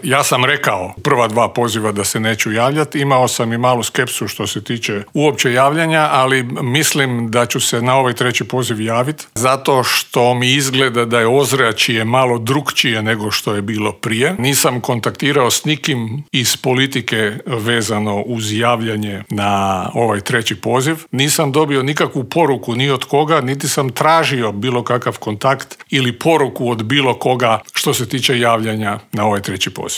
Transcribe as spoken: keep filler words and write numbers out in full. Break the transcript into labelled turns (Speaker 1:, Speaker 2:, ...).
Speaker 1: Ja sam rekao prva dva poziva da se neću javljati, imao sam i malu skepsu što se tiče uopće javljanja, ali mislim da ću se na ovaj treći poziv javiti, zato što mi izgleda da je ozračje malo drukčije nego što je bilo prije. Nisam kontaktirao s nikim iz politike vezano uz javljanje na ovaj treći poziv. Nisam dobio nikakvu poruku ni od koga, niti sam tražio bilo kakav kontakt ili poruku od bilo koga što se tiče javljanja na ovaj treći poziv.